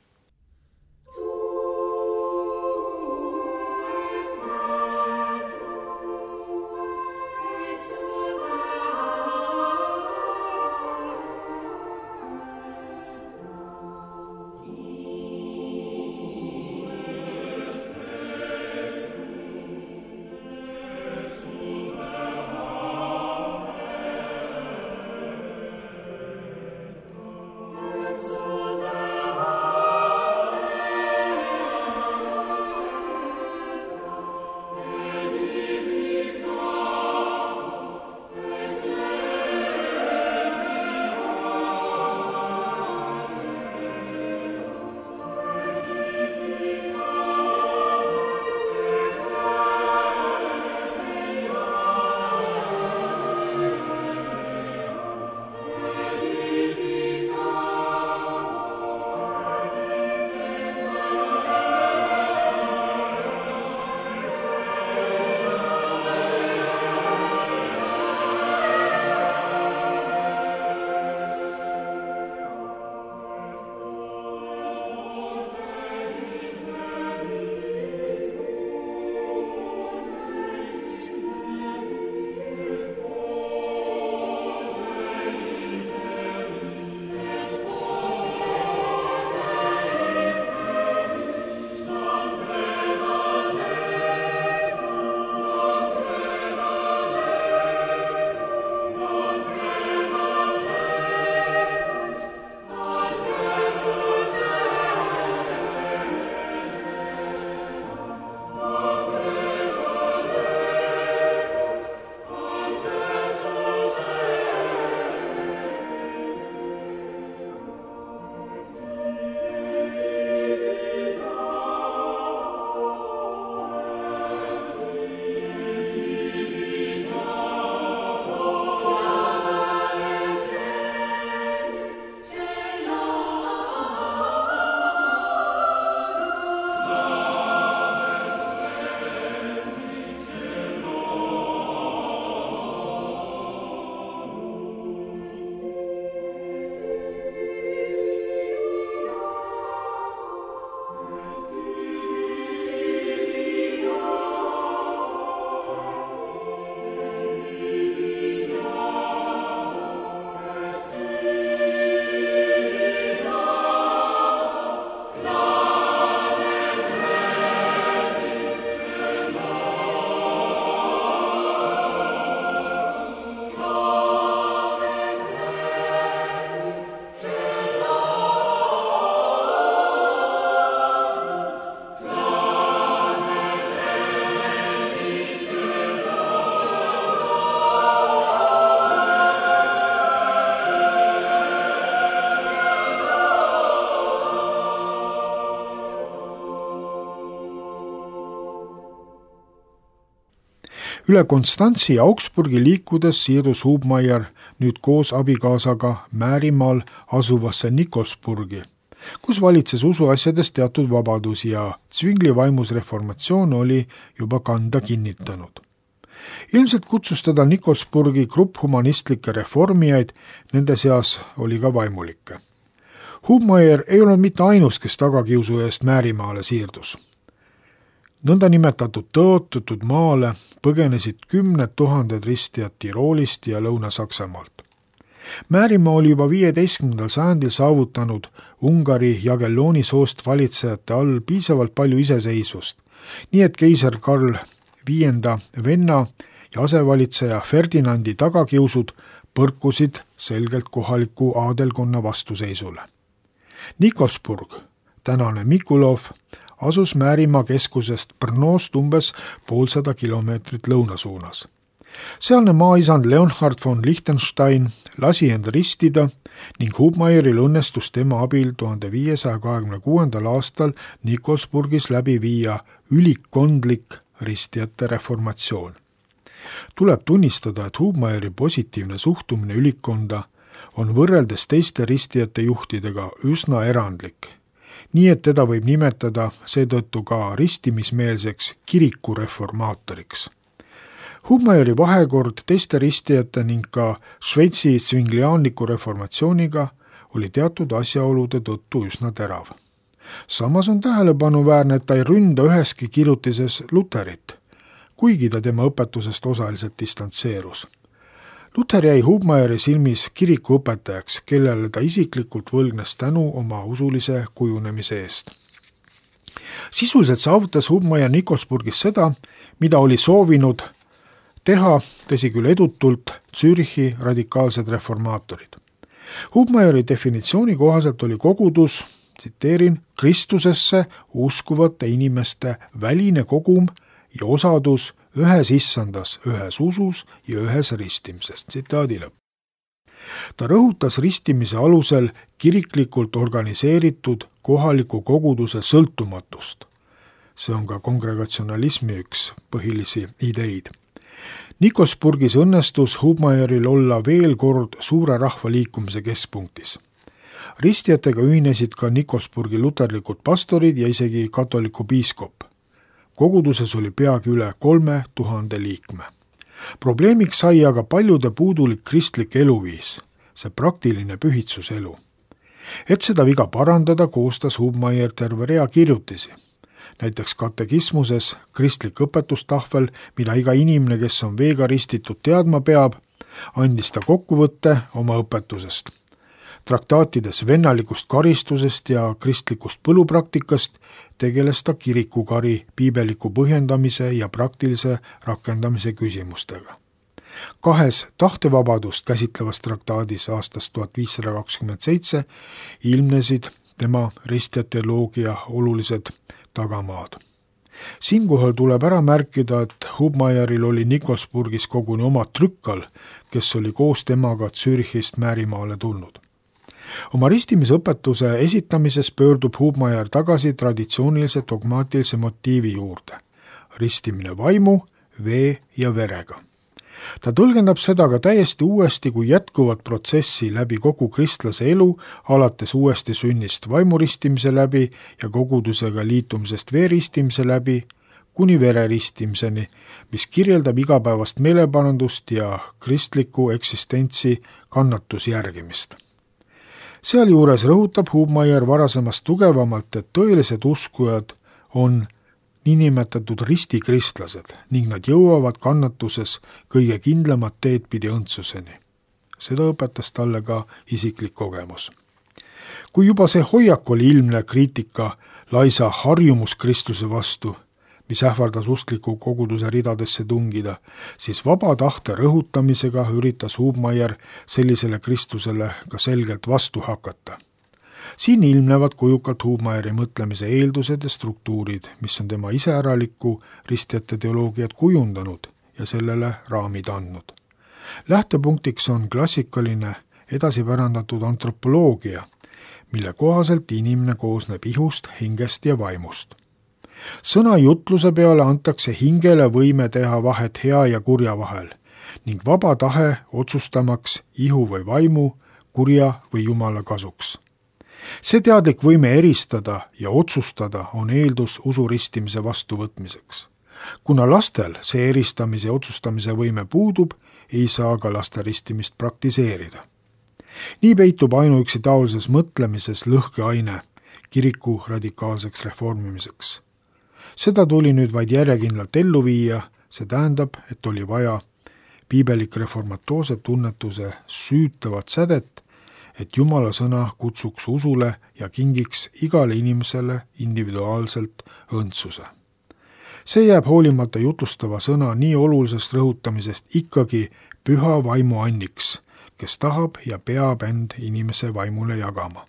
Üle Konstantsi ja Augsburgi liikudes siirdus Hubmaier nüüd koos abikaasaga Määrimaal asuvasse Nikolsburgi, kus valitses usuasjades teatud vabadus ja Zwingli vaimus reformatsioon oli juba kanda kinnitanud. Ilmselt kutsus teda Nikolsburgi grupp humanistlikke reformijaid, nende seas oli ka vaimulikke. Hubmaier ei olnud mitte ainus, kes tagakiusu eest Määrimaale siirdus. Nõndanimetatud tõotatud maale põgenesid 10 000 ristijat Tiroolist ja Lõuna-Saksamaalt. Määrimaa oli juba 15. sajandil saavutanud Ungari Jagellooni soost valitsejate all piisavalt palju iseseisvust, nii et keiser Karl V venna ja asevalitseja Ferdinandi tagakiusud põrkusid selgelt kohaliku aadelkonna vastuseisule. Nikolsburg, tänane Mikulov, asus Määrimaa keskusest Brnost umbes 150 kilomeetrit lõunasuunas. Sealne maaisand Leonhard von Liechtenstein lasi end ristida ning Hubmaieril õnnestus tema abil 1526. aastal Nikolsburgis läbi viia ülikkondlik ristijate reformatsioon. Tuleb tunnistada, et Hubmaieri positiivne suhtumine ülikkonda on võrreldes teiste ristijate juhtidega üsna erandlik, nii et teda võib nimetada seetõttu ka ristimismeelseks kirikureformaatoriks. Hubmaieri vahekord teiste ristijate ning ka Šveitsi svingliaanliku reformatsiooniga oli teatud asjaolude tõttu üsna terav. Samas on tähelepanuväärne, et ta ei ründa üheski kirjutises Luterit, kuigi ta tema õpetusest osaliselt distantseerus. Luther jäi Hubmaieri silmis kirikuõpetajaks, kellele ta isiklikult võlgnes tänu oma usulise kujunemise eest. Sisuliselt saavutas Hubmaier Nikolsburgis seda, mida oli soovinud teha, tõsi küll edutult, Zürichi radikaalsed reformaatorid. Hubmaieri definitsiooni kohaselt oli kogudus, tsiteerin, Kristusesse uskuvate inimeste väline kogum ja osadus ühes issandas, ühes usus ja ühes ristimises. Tsitaadi lõpp. Ta rõhutas ristimise alusel kiriklikult organiseeritud kohaliku koguduse sõltumatust. See on ka kongregatsionalismi üks põhilisi ideid. Nikolsburgis õnnestus Hubmaieril olla veel kord suure rahvaliikumise keskpunktis. Ristijatega ühinesid ka Nikolsburgi luterlikud pastorid ja isegi katoliku piiskop. Koguduses oli peagi üle 3000 liikme. Probleemiks sai aga paljude puudulik kristlik eluviis, see praktiline pühitsuselu. Et seda viga parandada, koostas Hubmaier terve rea kirjutisi. Näiteks katekismuses kristlik õpetustahvel, mida iga inimene, kes on veega ristitud, teadma peab, andis ta kokkuvõtte oma õpetusest. Traktaatides vennalikust karistusest ja kristlikust põlupraktikast tegeles ta kirikukari, piibeliku põhjendamise ja praktilise rakendamise küsimustega. 2 tahtevabadust käsitlevas traktaadis aastast 1527 ilmnesid tema ristjateoloogia olulised tagamaad. Siinkohal tuleb ära märkida, et Hubmaieril oli Nikolsburgis koguni oma trükkal, kes oli koos temaga Zürichist Määrimaale tulnud. Oma ristimisõpetuse esitamises pöördub Hubmaier tagasi traditsioonilise dogmaatilise motiivi juurde. Ristimine vaimu, vee ja verega. Ta tõlgendab seda ka täiesti uuesti kui jätkuvat protsessi läbi kogu kristlase elu, alates uuesti sünnist vaimuristimise läbi ja kogudusega liitumisest veeristimise läbi, kuni vereristimiseni, mis kirjeldab igapäevast meeleparandust ja kristliku eksistentsi kannatusjärgimist. Sealjuures rõhutab Hubmaier varasemast tugevamalt, et tõelised uskujad on niinimetatud ristikristlased ning nad jõuavad kannatuses kõige kindlamat teed pidi õndsuseni. Seda õpetas talle ka isiklik kogemus. Kui juba see hoiak oli ilmne kriitika laisa harjumuskristuse vastu, mis ähvardas uskliku koguduse ridadesse tungida, siis vaba tahte rõhutamisega üritas Hubmaier sellisele Kristusele ka selgelt vastu hakata. Siin ilmnevad kujukalt Hubmaieri mõtlemise eeldused ja struktuurid, mis on tema iseäraliku ristjate teoloogiat kujundanud ja sellele raamid andnud. Lähtepunktiks on klassikaline edasipärandatud antropoloogia, mille kohaselt inimene koosneb ihust, hingest ja vaimust. Sõna jutluse peale antakse hingele võime teha vahet hea ja kurja vahel ning vaba tahe otsustamaks ihu või vaimu, kurja või Jumala kasuks. See teadlik võime eristada ja otsustada on eeldus usuristimise vastuvõtmiseks. Kuna lastel see eristamise ja otsustamise võime puudub, ei saa ka laste ristimist praktiseerida. Nii peitub ainuüksi taolises mõtlemises lõhkeaine kiriku radikaalseks reformimiseks. Seda tuli nüüd vaid järjekindlalt ellu viia, see tähendab, et oli vaja piibelik reformatoorse tunnetuse süütavat sädet, et Jumala sõna kutsuks usule ja kingiks igale inimesele individuaalselt õndsuse. See jääb hoolimata jutlustava sõna nii olulisest rõhutamisest ikkagi püha vaimu anniks, kes tahab ja peab end inimese vaimule jagama.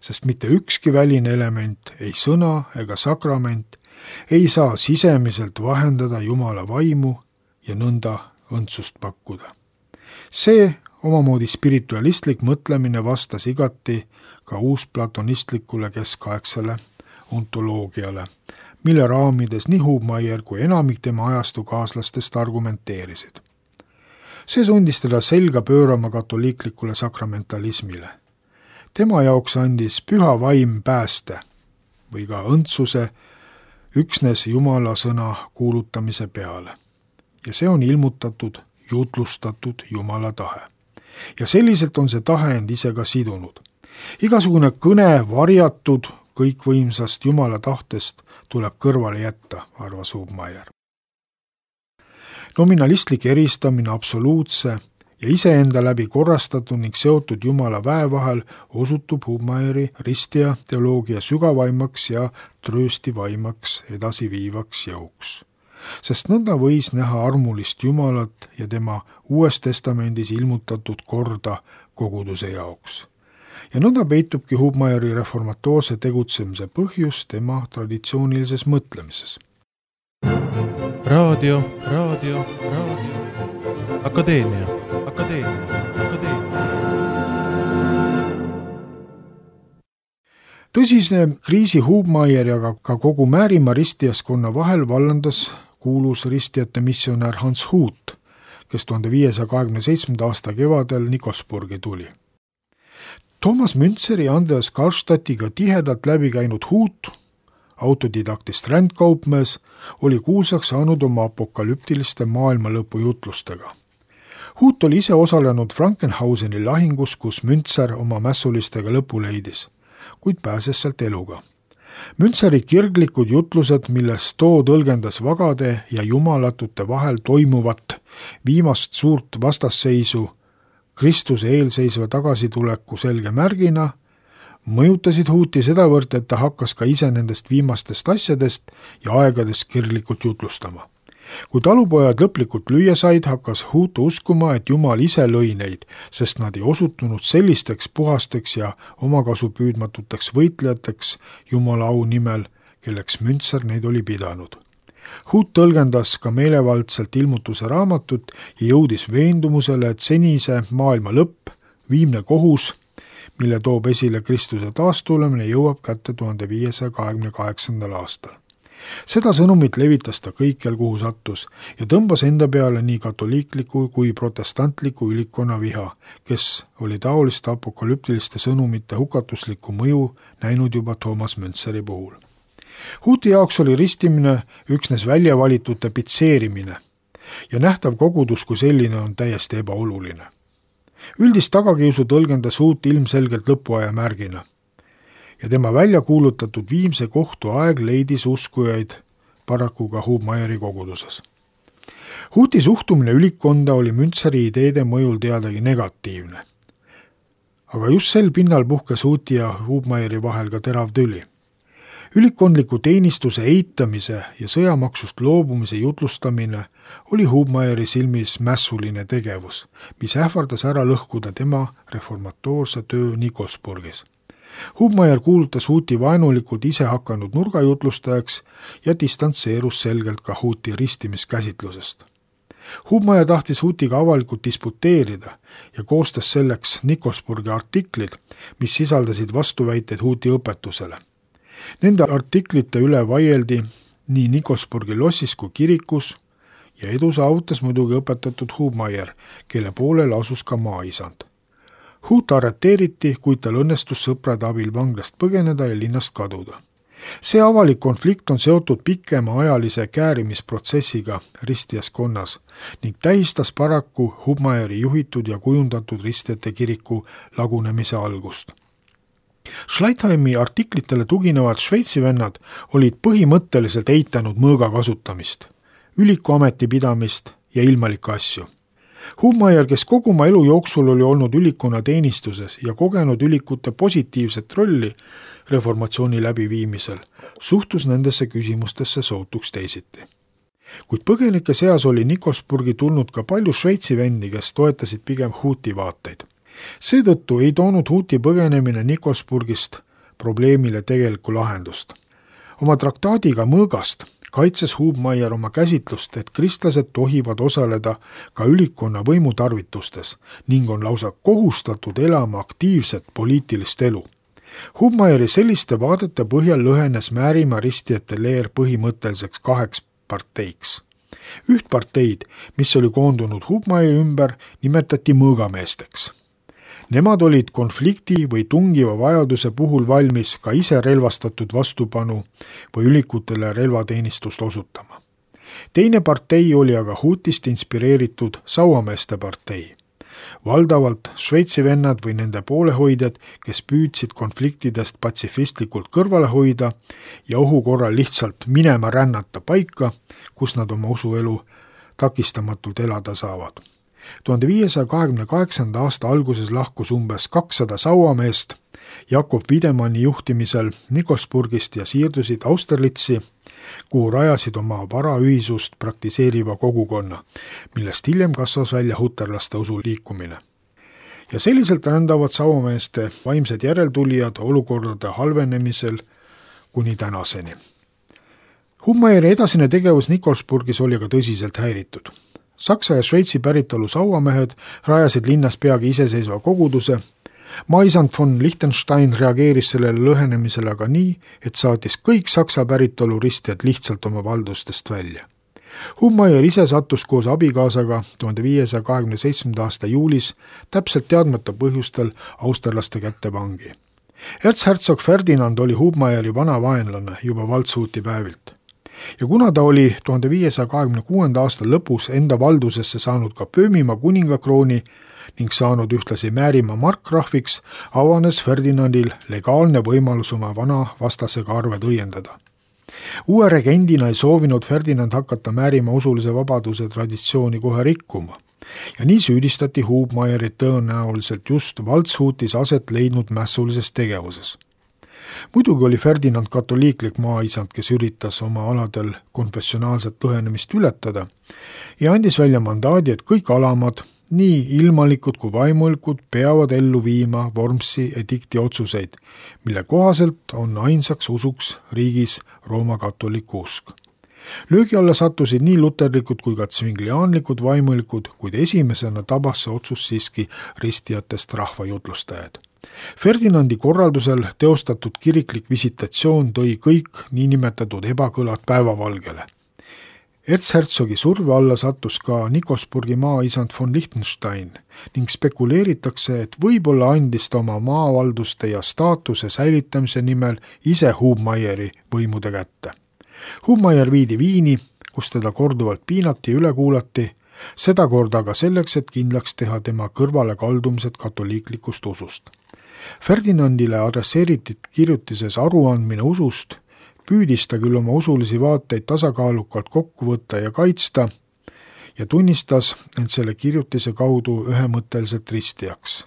Sest mitte ükski väline element, ei sõna ega sakrament, ei saa sisemiselt vahendada Jumala vaimu ja nõnda õndsust pakkuda. See omamoodi spiritualistlik mõtlemine vastas igati ka uusplatonistlikule keskaegsele ontoloogiale, mille raamides nii Hubmaier kui enamik tema ajastu kaaslastest argumenteerisid. See sundis teda selga pöörama katoliiklikule sakramentalismile. Tema jaoks andis püha vaim pääste või ka õndsuse üksnes Jumala sõna kuulutamise peale. Ja see on ilmutatud, jutlustatud Jumala tahe. Ja selliselt on see tahe end ise ka sidunud. Igasugune kõne varjatud kõikvõimsast Jumala tahtest tuleb kõrvale jätta, arvas Hubmaier. Nominalistlik eristamine absoluutse ja iseenda läbi korrastatud ning seotud Jumala väe vahel osutub Hubmaieri ristija teoloogia sügavaimaks ja trööstivaimaks edasiviivaks jõuks. Sest nõnda võis näha armulist Jumalat ja tema Uues Testamendis ilmutatud korda koguduse jaoks. Ja nõnda peitubki Hubmaieri reformatoorse tegutsemise põhjus tema traditsioonilises mõtlemises. Raadio. Akadeemia. Tõsine kriisi Hubmaieri ja ka kogu Määrimaa ristijaskonna vahel vallandas kuulus ristijate missionär Hans Hut, kes 1527. aasta kevadel Nikosburgi tuli. Thomas Müntseri ja Andreas Karlstadtiga tihedalt läbi käinud Hut, autodidaktist rändkaupmees, oli kuulsaks saanud oma apokalüptiliste maailmalõpu jutlustega. Hut oli ise osalenud Frankenhauseni lahingus, kus Müntser oma mässulistega lõpu leidis, kuid pääses sealt eluga. Müntseri kirglikud jutlused, milles too tõlgendas vagade ja jumalatute vahel toimuvat viimast suurt vastasseisu Kristuse eelseisva tagasituleku selge märgina, mõjutasid Huti sedavõrd, et ta hakkas ka ise nendest viimastest asjadest ja aegadest kirglikult jutlustama. Kui talupojad lõplikult lüüa said, hakkas Hut uskuma, et Jumal ise lõi neid, sest nad ei osutunud sellisteks puhasteks ja omakasu püüdmatuteks võitlejateks Jumala au nimel, kelleks Müntser neid oli pidanud. Hut tõlgendas ka meelevaldselt ilmutuse raamatut ja jõudis veendumusele, et senise maailma lõpp, viimne kohus, mille toob esile Kristuse taastulemine, jõuab kätte 1528. aastal. Seda sõnumit levitas ta kõikjal, kuhu sattus ja tõmbas enda peale nii katoliikliku kui protestantliku ülikonna viha, kes oli taoliste apokalüptiliste sõnumite hukatuslikku mõju näinud juba Thomas Müntseri puhul. Huti jaoks oli ristimine üksnes väljavalitute pitseerimine ja nähtav kogudus kui selline on täiesti ebaoluline. Üldist tagakiusu tõlgendas Hut ilmselgelt lõpuaja märgina ja tema välja kuulutatud viimse kohtu aeg leidis uskujaid paraku ka Hubmaieri koguduses. Huti suhtumine ülikonda oli Müntseri ideede mõjul teadagi negatiivne. Aga just sel pinnal puhkes Huti ja Hubmaieri vahel ka terav tüli. Ülikondliku teenistuse eitamise ja sõjamaksust loobumise jutlustamine oli Hubmaieri silmis mässuline tegevus, mis ähvardas ära lõhkuda tema reformatoorse töö Nikosburgis. Hubmaier kuulutas Huti vaenulikult ise hakanud nurgajutlustajaks ja distantseerus selgelt ka Huti ristimiskäsitlusest. Hubmaier tahtis Hutiga avalikult disputeerida ja koostas selleks Nikosburgi artiklid, mis sisaldasid vastuväiteid Huti õpetusele. Nende artiklite üle vaieldi nii Nikosburgi lossis kui kirikus ja edu saavutas muidugi õpetatud Hubmaier, kelle poolel asus ka maaisand. Hut arreteeriti, kuid tal õnnestus sõprade abil vanglast põgeneda ja linnast kaduda. See avalik konflikt on seotud pikema ajalise käärimisprotsessiga ristijaskonnas ning tähistas paraku Hubmaieri juhitud ja kujundatud ristijate kiriku lagunemise algust. Schleitheimi artiklitele tuginevad Šveitsi vennad olid põhimõtteliselt eitanud mõõga kasutamist, üliku ametipidamist ja ilmalikke asju. Hubmaier, kes kogu oma elu jooksul oli olnud ülikuna teenistuses ja kogenud ülikute positiivset rolli reformatsiooni läbiviimisel, suhtus nendesse küsimustesse sootuks teisiti. Kuid põgenike seas oli Nikosburgi tulnud ka palju Šveitsi vendi, kes toetasid pigem Huti vaateid. Seetõttu ei toonud Huti põgenemine Nikosburgist probleemile tegelikku lahendust. Oma traktaadiga mõõgast kaitses Hubmaier oma käsitlust, et kristlased tohivad osaleda ka ülikonna võimutarvitustes ning on lausa kohustatud elama aktiivset poliitilist elu. Hubmaieri selliste vaadete põhjal lõhenes Määrimaa ristijate leer põhimõtteliseks 2 parteiks. Üht parteid, mis oli koondunud Hubmaieri ümber, nimetati mõõgameesteks. Nemad olid konflikti või tungiva vajaduse puhul valmis ka ise relvastatud vastupanu või ülikutele relvateenistust osutama. Teine partei oli aga Hutist inspireeritud sauameeste partei. Valdavalt Šveitsi vennad või nende poolehoidjad, kes püüdsid konfliktidest patsifistlikult kõrvale hoida ja ohu korral lihtsalt minema rännata paika, kus nad oma usuelu takistamatult elada saavad. 1528. aasta alguses lahkus umbes 200 sauameest Jakob Wiedemanni juhtimisel Nikosburgist ja siirdusid Austerlitzi, kuhu rajasid oma varaühisust praktiseeriva kogukonna, millest hiljem kasvas välja huterlaste usuliikumine. Ja selliselt rändavad sauameeste vaimsed järeltulijad olukordade halvenemisel kuni tänaseni. Hubmaieri edasine tegevus Nikosburgis oli aga tõsiselt häiritud. Saksa ja Šveitsi päritolu sauamehed rajasid linnas peagi iseseisva koguduse. Maisand von Liechtenstein reageeris sellele lõhenemisele aga nii, et saatis kõik Saksa päritolu ristijad lihtsalt oma valdustest välja. Hubmaier ise sattus koos abikaasaga 1527. aasta juulis täpselt teadmata põhjustel austerlaste kätte vangi. Erzherzog Ferdinand oli Hubmaieri vana vaenlane juba Waldshuti päevilt. Ja kuna ta oli 1526. aasta lõpus enda valdusesse saanud ka Böömimaa kuningakrooni ning saanud ühtlasi Määrimaa markgrahviks, avanes Ferdinandil legaalne võimalus oma vana vastasega arved õiendada. Uue regendina ei soovinud Ferdinand hakata Määrimaa usulise vabaduse traditsiooni kohe rikkuma ja nii süüdistati Hubmaierit tõenäoliselt just Waldshutis aset leidnud mässulises tegevuses. Muidugi oli Ferdinand katoliiklik maaisand, kes üritas oma aladel konfessionaalset lõhenemist ületada ja andis välja mandaadi, et kõik alamad, nii ilmalikud kui vaimulikud, peavad ellu viima Wormsi edikti otsuseid, mille kohaselt on ainsaks usuks riigis Rooma katoliku usk. Löögi alla sattusid nii luterlikud kui ka tsvingliaanlikud vaimulikud, kuid esimesena tabas see otsus siiski ristijatest rahvajutlustajad. Ferdinandi korraldusel teostatud kiriklik visitatsioon tõi kõik niinimetatud ebakõlad päevavalgele. Erzherzogi surve alla sattus ka Nikosburgi maaisand von Liechtenstein ning spekuleeritakse, et võib-olla andis ta oma maavalduste ja staatuse säilitamise nimel ise Hubmaieri võimude kätte. Hubmaier viidi Viini, kus teda korduvalt piinati ja üle kuulati, seda korda aga selleks, et kindlaks teha tema kõrvale kaldumised katoliiklikust usust. Ferdinandile adresseeritud kirjutises aruandmine usust püüdis ta küll oma usulisi vaateid tasakaalukalt kokku võtta ja kaitsta ja tunnistas end selle kirjutise kaudu ühemõtteliselt ristijaks.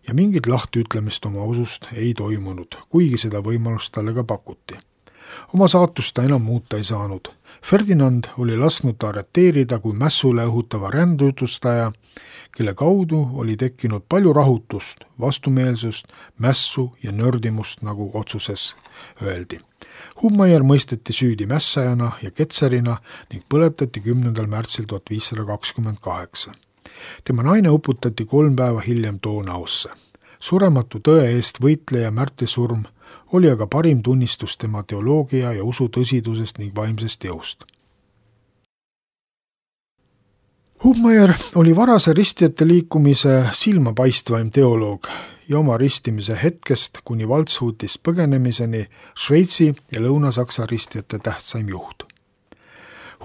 Ja mingit lahtiütlemist oma usust ei toimunud, kuigi seda võimalust talle ka pakuti. Oma saatust ta enam muuta ei saanud. Ferdinand oli lasknud ta arreteerida kui mässule õhutava rändujutlustaja, kelle kaudu oli tekkinud palju rahutust, vastumeelsust, mässu ja nördimust, nagu otsuses öeldi. Hubmaier mõisteti süüdi mässajana ja ketserina ning põletati 10. märtsil 1528. Tema naine uputati 3 päeva hiljem Donausse. Surematu tõe eest võitleja märtrisurm oli aga parim tunnistus tema teoloogia ja usu tõsidusest ning vaimsest jõust. Hubmaier oli varase ristijate liikumise silmapaistvaim teoloog ja oma ristimise hetkest kuni Waldshutist põgenemiseni Šveitsi ja Lõuna-Saksa ristijate tähtsaim juht.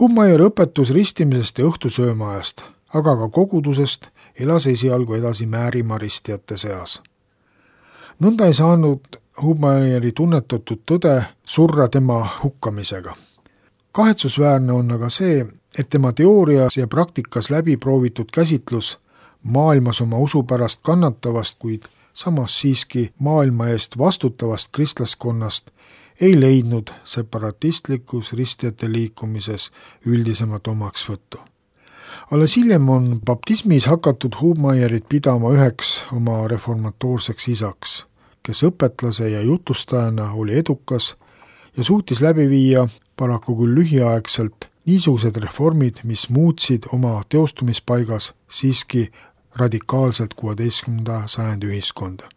Hubmaier õpetus ristimisest ja õhtusöömaajast, aga ka kogudusest elas esialgu edasi Määrimaa ristijate seas. Nõnda ei saanud Hubmaieri tunnetatud tõde surra tema hukkamisega. Kahetsusväärne on aga see, et tema teoorias ja praktikas läbi proovitud käsitlus maailmas oma usu pärast kannatavast, kuid samas siiski maailma eest vastutavast kristlaskonnast ei leidnud separatistlikus ristijate liikumises üldisemat omaksvõttu. Alles hiljem on baptismis hakatud Hubmaierit pidama üheks oma reformatoorseks isaks, kes õpetlase ja jutustajana oli edukas ja suutis läbi viia paraku küll lühiaegselt niisugused reformid, mis muutsid oma teostumispaigas siiski radikaalselt 16. sajandi ühiskonda.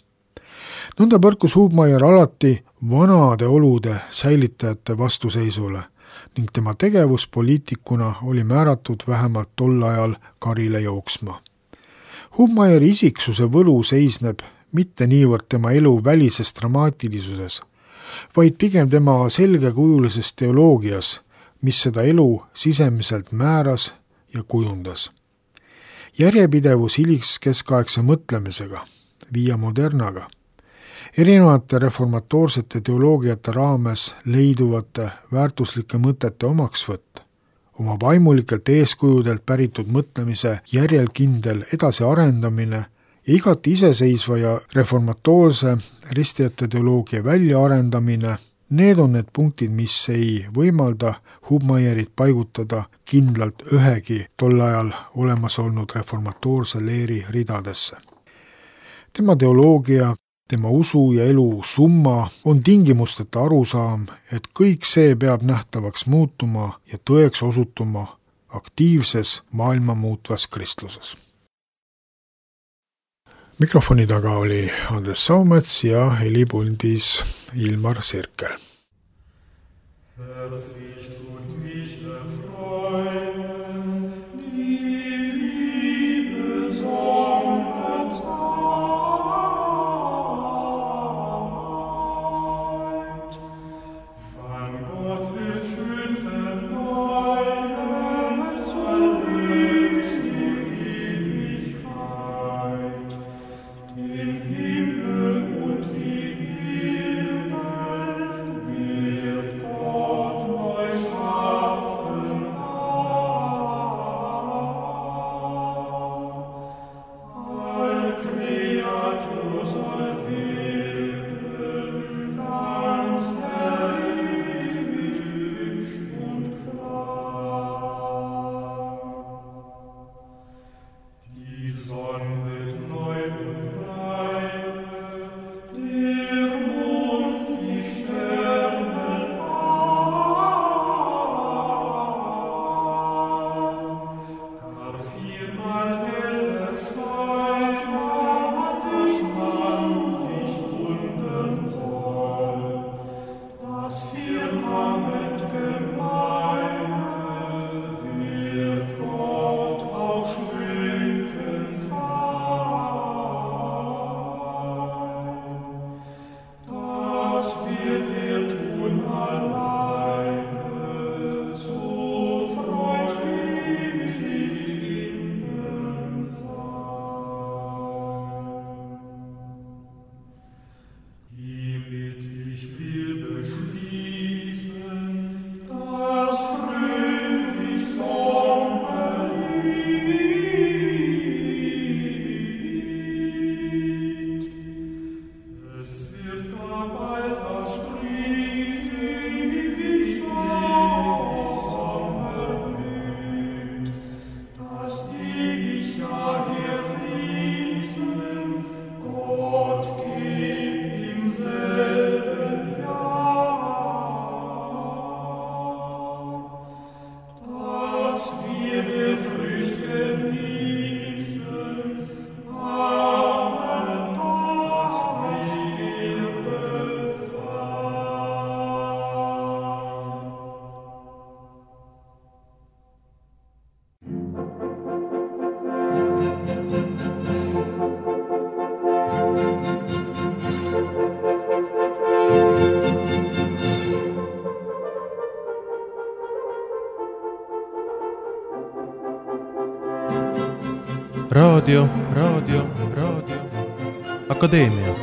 Nõnda põrkus Hubmaier alati vanade olude säilitajate vastuseisule ning tema tegevus poliitikuna oli määratud vähemalt tol ajal karile jooksma. Hubmaieri isiksuse võlu seisneb mitte niivõrd tema elu välises dramaatilisuses, vaid pigem tema selgekujulises teoloogias, mis seda elu sisemiselt määras ja kujundas. Järjepidevus hiliskeskaegse mõtlemisega, via modernaga, erinevate reformatoorsete teoloogiate raames leiduvate väärtuslike mõtete omaksvõtt, oma vaimulikelt eeskujudelt päritud mõtlemise järjelkindel edasiarendamine ja igati iseseisva ja reformatoorse ristijate teoloogia väljaarendamine, need on need punktid, mis ei võimalda Hubmaierit paigutada kindlalt ühegi tol ajal olemas olnud reformatoorse leeri ridadesse. Tema teoloogia, tema usu ja elu summa on tingimusteta arusaam, et kõik see peab nähtavaks muutuma ja tõeks osutuma aktiivses maailma muutvas kristluses. Mikrofoni taga oli Andres Saumets ja helipuldis Ilmar Sirkel. Wird Gott neu schaffen. Raadio, Akadeemia.